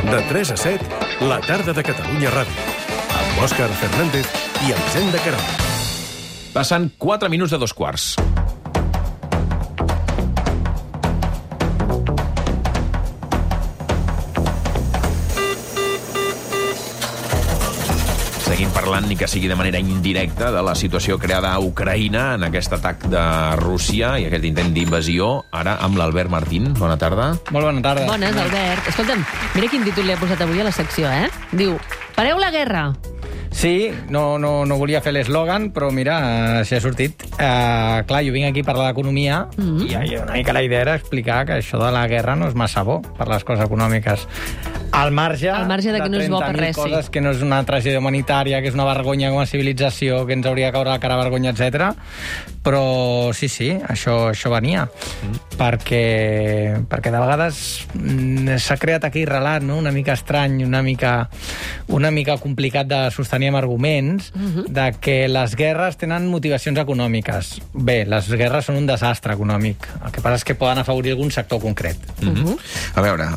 De 3 a 7, la tarda de Catalunya Ràdio. Amb Òscar Fernández i Elisenda Queralt. Passen 4 minuts de 2:15. Seguim parlant, ni que sigui de manera indirecta, de la situació creada a Ucraïna en aquest atac de Rússia i aquest intent d'invasió, ara amb l'Albert Martín. Bona tarda. Molt bona tarda. Bones, Albert. Escolta'm, mira quin títol li ha posat avui a la secció, eh? Diu, pareu la guerra. Sí, no volia fer l'eslògan, però mira, si ha sortit. Clar, jo vinc aquí a parlar d'economia i una mica la idea era explicar que això de la guerra no és massa bo per les coses econòmiques. Al marge de que no és bo per res, coses, sí. Que no és una tragèdia humanitària, que és una vergonya com a civilització, que ens hauria de caure la cara vergonya, etc. Però sí, això venia. Perquè de vegades s'ha creat aquí relat, no? Una mica estrany, una mica complicat de sostenir amb arguments, de que les guerres tenen motivacions econòmiques. Bé, les guerres són un desastre econòmic. El que passa és que poden afavorir algun sector concret. A veure,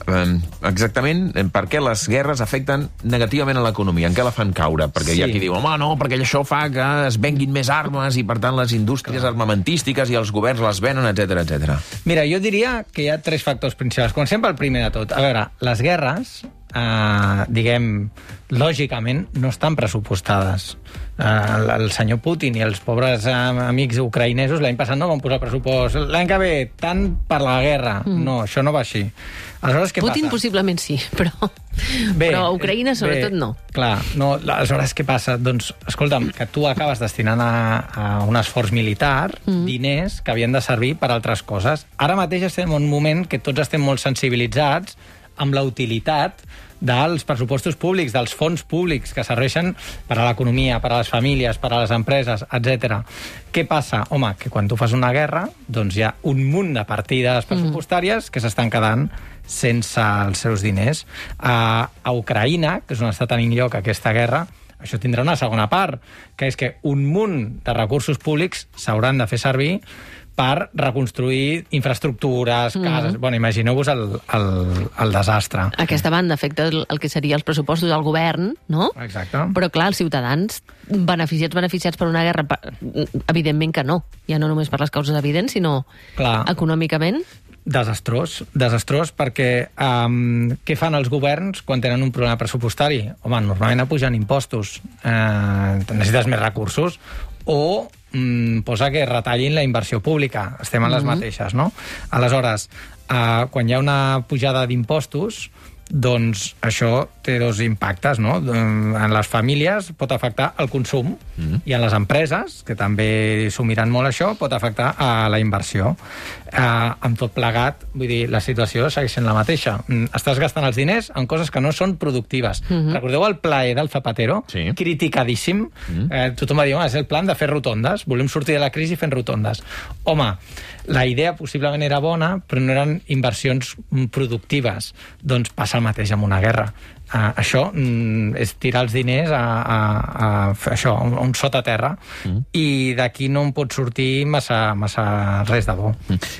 exactament per què les guerres afecten negativament a l'economia? En què la fan caure? Perquè hi ha qui diu, home, no, perquè això fa que es venguin més armes i, per tant, les indústries armamentístiques i els governs les venen, etc. Mira, jo diria que hi ha 3 factors principals. Comencem pel primer de tot. A veure, les guerres, diguem, lògicament, no estan pressupostades. El senyor Putin i els pobres amics ucraïnesos l'any passat no van posar pressupost. L'any que ve, tant per la guerra. No, això no va així. Aleshores, què Putin passa? Possiblement sí, però Ucraïna sobretot no. Clar, no, aleshores què passa? Doncs, escolta'm, que tu acabes destinant a un esforç militar diners que havien de servir per altres coses. Ara mateix estem en un moment que tots estem molt sensibilitzats amb la utilitat dels pressupostos públics, dels fons públics que serveixen per a l'economia, per a les famílies, per a les empreses, etc. Què passa? Home, que quan tu fas una guerra, doncs hi ha un munt de partides pressupostàries que s'estan quedant sense els seus diners. A Ucraïna, que és on està tenint lloc aquesta guerra, això tindrà una segona part, que és que un munt de recursos públics s'hauran de fer servir per reconstruir infraestructures, cases... Bueno, imagineu-vos el desastre. Aquesta banda afecta el que seria els pressupostos del govern, no? Exacte. Però, clar, els ciutadans beneficiats per una guerra, evidentment que no. Ja no només per les causes evidents, sinó econòmicament. Desastrós perquè què fan els governs quan tenen un problema pressupostari? Home, normalment apugen impostos. Necessites més recursos o posa que retallin la inversió pública. Estem en les mateixes, no? Aleshores, quan hi ha una pujada d'impostos, doncs això té 2 impactes, no? En les famílies pot afectar el consum i en les empreses, que també s'ho miren molt això, pot afectar a la inversió. Amb tot plegat, vull dir, la situació segueix sent la mateixa. Estàs gastant els diners en coses que no són productives. Recordeu el plaer del Zapatero? Sí. Criticadíssim. Tothom va dir, és el plan de fer rotondes. Volem sortir de la crisi fent rotondes. Home, la idea possiblement era bona, però no eren inversions productives. Doncs passa el mateix amb una guerra. Això és tirar els diners a un sotaterra i d'aquí no en pot sortir massa res de bo.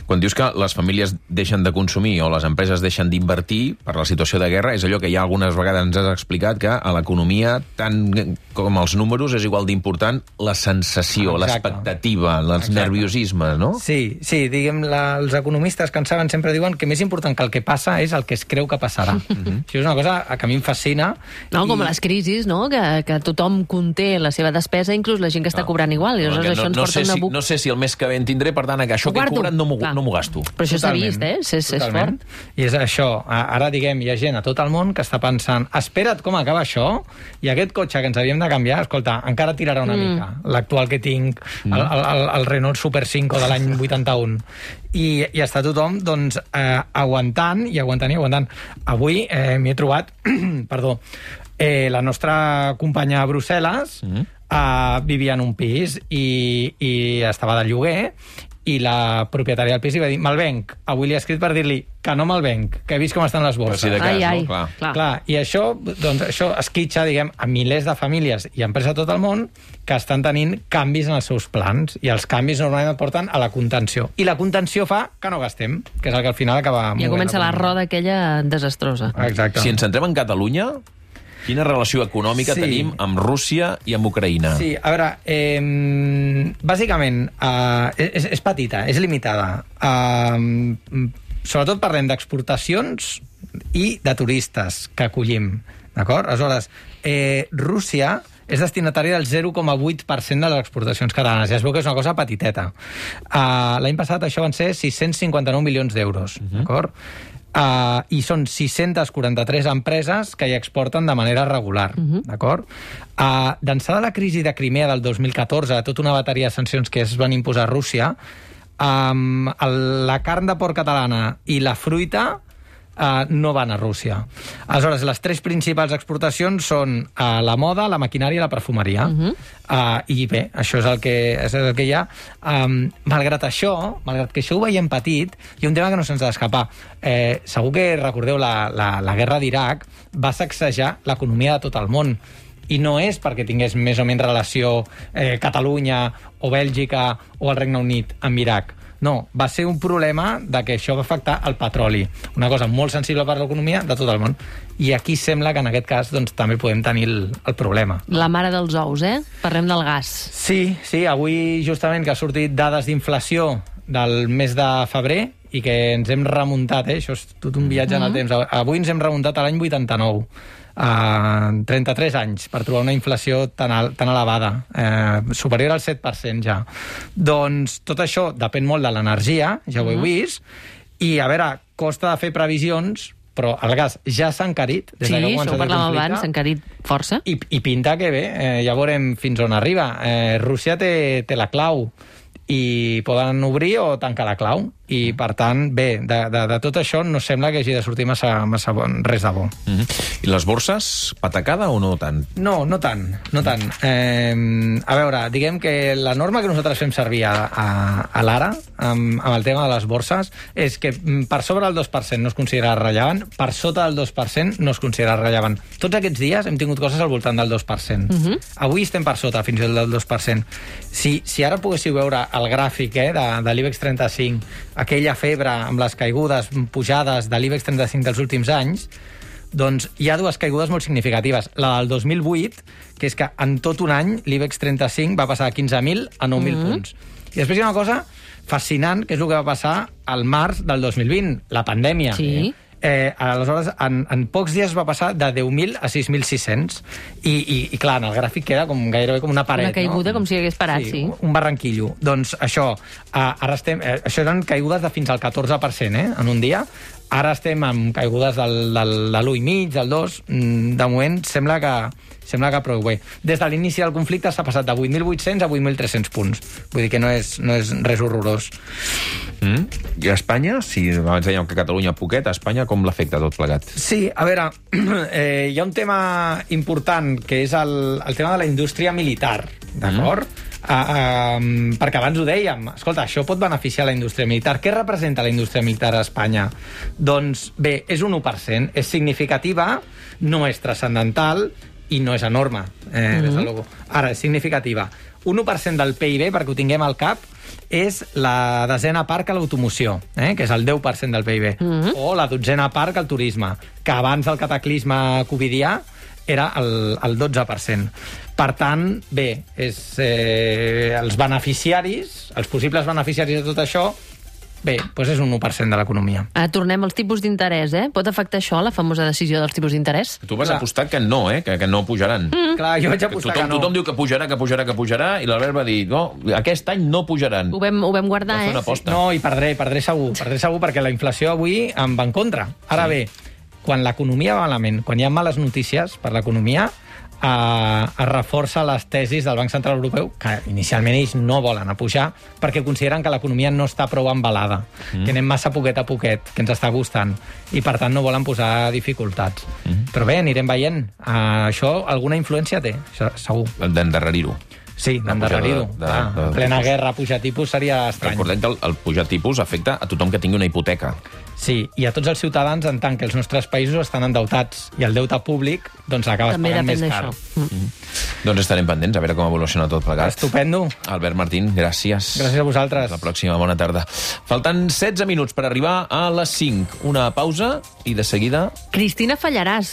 Quan dius que les famílies deixen de consumir o les empreses deixen d'invertir per la situació de guerra, és allò que ja algunes vegades ens has explicat, que a l'economia, tant com els números, és igual d'important la sensació, l'expectativa, els nerviosismes, no? Sí, diguem, els economistes que en saben sempre diuen que més important que el que passa és el que es creu que passarà. Això és una cosa que a mi em fascina. No, com les crisis, no? Que tothom conté la seva despesa, inclús la gent que està cobrant igual. I això ens porta una no sé si el mes que ve en tindré, per tant, que això que he cobrat no m'ho gasto. Però això s'ha vist, és fort. I és això. Ara, diguem, hi ha gent a tot el món que està pensant, espera't com acaba això, i aquest cotxe que ens havíem de canviar, escolta, encara tirarà una mica. L'actual que tinc, el Renault Super 5 de l'any 81. I està tothom, doncs, aguantant. Avui m'hi he trobat, perdó, la nostra companya a Brussel·les vivia en un pis i estava de lloguer i la propietària del pis li va dir, me'l venc. Avui li he escrit per dir-li que no me'l venc, que he vist com estan les borses. Si de cas, Ai, no? Clar, i això esquitxa, diguem, a milers de famílies i empreses a tot el món que estan tenint canvis en els seus plans, i els canvis normalment porten a la contenció. I la contenció fa que no gastem, que és el que al final acaba... Ja comença la roda aquella desastrosa. Exacte. Si ens centrem en Catalunya, quina relació econòmica tenim amb Rússia i amb Ucraïna? Sí, a veure, bàsicament és petita, és limitada. Sobretot parlem d'exportacions i de turistes que acollim, d'acord? Aleshores, Rússia és destinatària del 0,8% de les exportacions catalanes. Ja es veu que és una cosa petiteta. L'any passat això van ser 659 milions d'euros, d'acord? I són 643 empreses que hi exporten de manera regular, d'acord? D'ençà de la crisi de Crimea del 2014, tota una bateria de sancions que es van imposar a Rússia, la carn de porc catalana i la fruita no van a Rússia. Aleshores, les tres principals exportacions són la moda, la maquinària i la perfumeria. I bé, això és el que hi ha. Malgrat que això ho veiem petit, hi ha un tema que no se'ns ha d'escapar. Segur que recordeu la guerra d'Iraq va sacsejar l'economia de tot el món. I no és perquè tingués més o menys relació Catalunya o Bèlgica o el Regne Unit amb Iraq. No, va ser un problema de que això va afectar el petroli, una cosa molt sensible per a l'economia de tot el món. I aquí sembla que en aquest cas doncs, també podem tenir el problema. La mare dels ous, Parlem del gas. Sí, avui justament que ha sortit dades d'inflació del mes de febrer i que ens hem remuntat, això és tot un viatge en el temps. Avui ens hem remuntat a l'any 89. 33 anys per trobar una inflació tan elevada, superior al 7% ja. Doncs tot això depèn molt de l'energia, ja ho he vist, i a veure, costa de fer previsions, però el gas ja s'ha encarit. Sí, això ho parlàvem abans, s'ha encarit força. I pinta que bé, ja veurem fins on arriba. Rússia té la clau i poden obrir o tancar la clau. I, per tant, bé, de tot això no sembla que hagi de sortir massa res de bo. I les borses, patacada o no tant? No tant. A veure, diguem que la norma que nosaltres fem servir a l'ara, amb el tema de les borses, és que per sobre del 2% no es considera rellevant, per sota del 2% no es considera rellevant. Tots aquests dies hem tingut coses al voltant del 2%. Avui estem per sota, fins i tot del 2%. Si ara poguéssiu veure el gràfic de l'IBEX 35, aquella febre amb les caigudes, pujades de l'IBEX 35 dels últims anys, doncs hi ha dues caigudes molt significatives. La del 2008, que és que en tot un any l'IBEX 35 va passar de 15.000 a 9.000 punts. I després hi ha una cosa fascinant, que és el que va passar al març del 2020, la pandèmia. Sí. Aleshores, en pocs dies va passar de 10.000 a 6.600 i clar, en el gràfic queda gairebé com una paret. Una caiguda, no? Com si hagués parat, sí. Un barranquillo. Doncs això, ara estem... això eren caigudes de fins al 14%, en un dia. Ara estem amb caigudes de l'1,5, del 2. De moment sembla que prou bé. Des de l'inici del conflicte s'ha passat de 8.800 a 8.300 punts. Vull dir que no és res horrorós. I a Espanya, si abans dèiem que Catalunya poquet, a Espanya com l'afecta tot plegat? Sí, a veure, hi ha un tema important, que és el tema de la indústria militar, d'acord? Perquè abans ho dèiem, escolta, això pot beneficiar la indústria militar. Què representa la indústria militar a Espanya? Doncs bé, és un 1%, és significativa, no és transcendental i no és enorme, des de luego. Ara, és significativa. Un 1% del PIB, perquè ho tinguem al cap, és la desena part que l'automoció, que és el 10% del PIB, o la dotzena part que el turisme, que abans del cataclisme covidià era el 12%. Per tant, bé, els beneficiaris, els possibles beneficiaris de tot això, bé, doncs és un 1% de l'economia. Tornem als tipus d'interès, Pot afectar això, la famosa decisió dels tipus d'interès? Tu vas apostar que no, que no pujaran. Clar, jo vaig apostar que no. Tothom diu que pujarà, i l'Albert va dir, no, aquest any no pujaran. Ho vam guardar, No, i perdré segur, perquè la inflació avui em va en contra. Ara bé, quan l'economia va malament, quan hi ha males notícies per l'economia, es reforça les tesis del Banc Central Europeu, que inicialment ells no volen pujar, perquè consideren que l'economia no està prou embalada, que anem massa poquet a poquet, que ens està gustant, i per tant no volen posar dificultats. Però bé, anirem veient. Això alguna influència té, això, segur. D'endarrerir-ho. Sí, d'endarrerir-ho. En plena guerra, pujar tipus seria estrany. Recordem que el pujar tipus afecta a tothom que tingui una hipoteca. Sí, i a tots els ciutadans, en tant que els nostres països estan endeutats i el deute públic doncs acabes pagant més car. Doncs estarem pendents, a veure com evoluciona tot plegat. Estupendo. Albert Martín, gràcies. Gràcies a vosaltres. Fins la pròxima, bona tarda. Falten 16 minuts per arribar a les 5. Una pausa i de seguida... Cristina Fallaràs.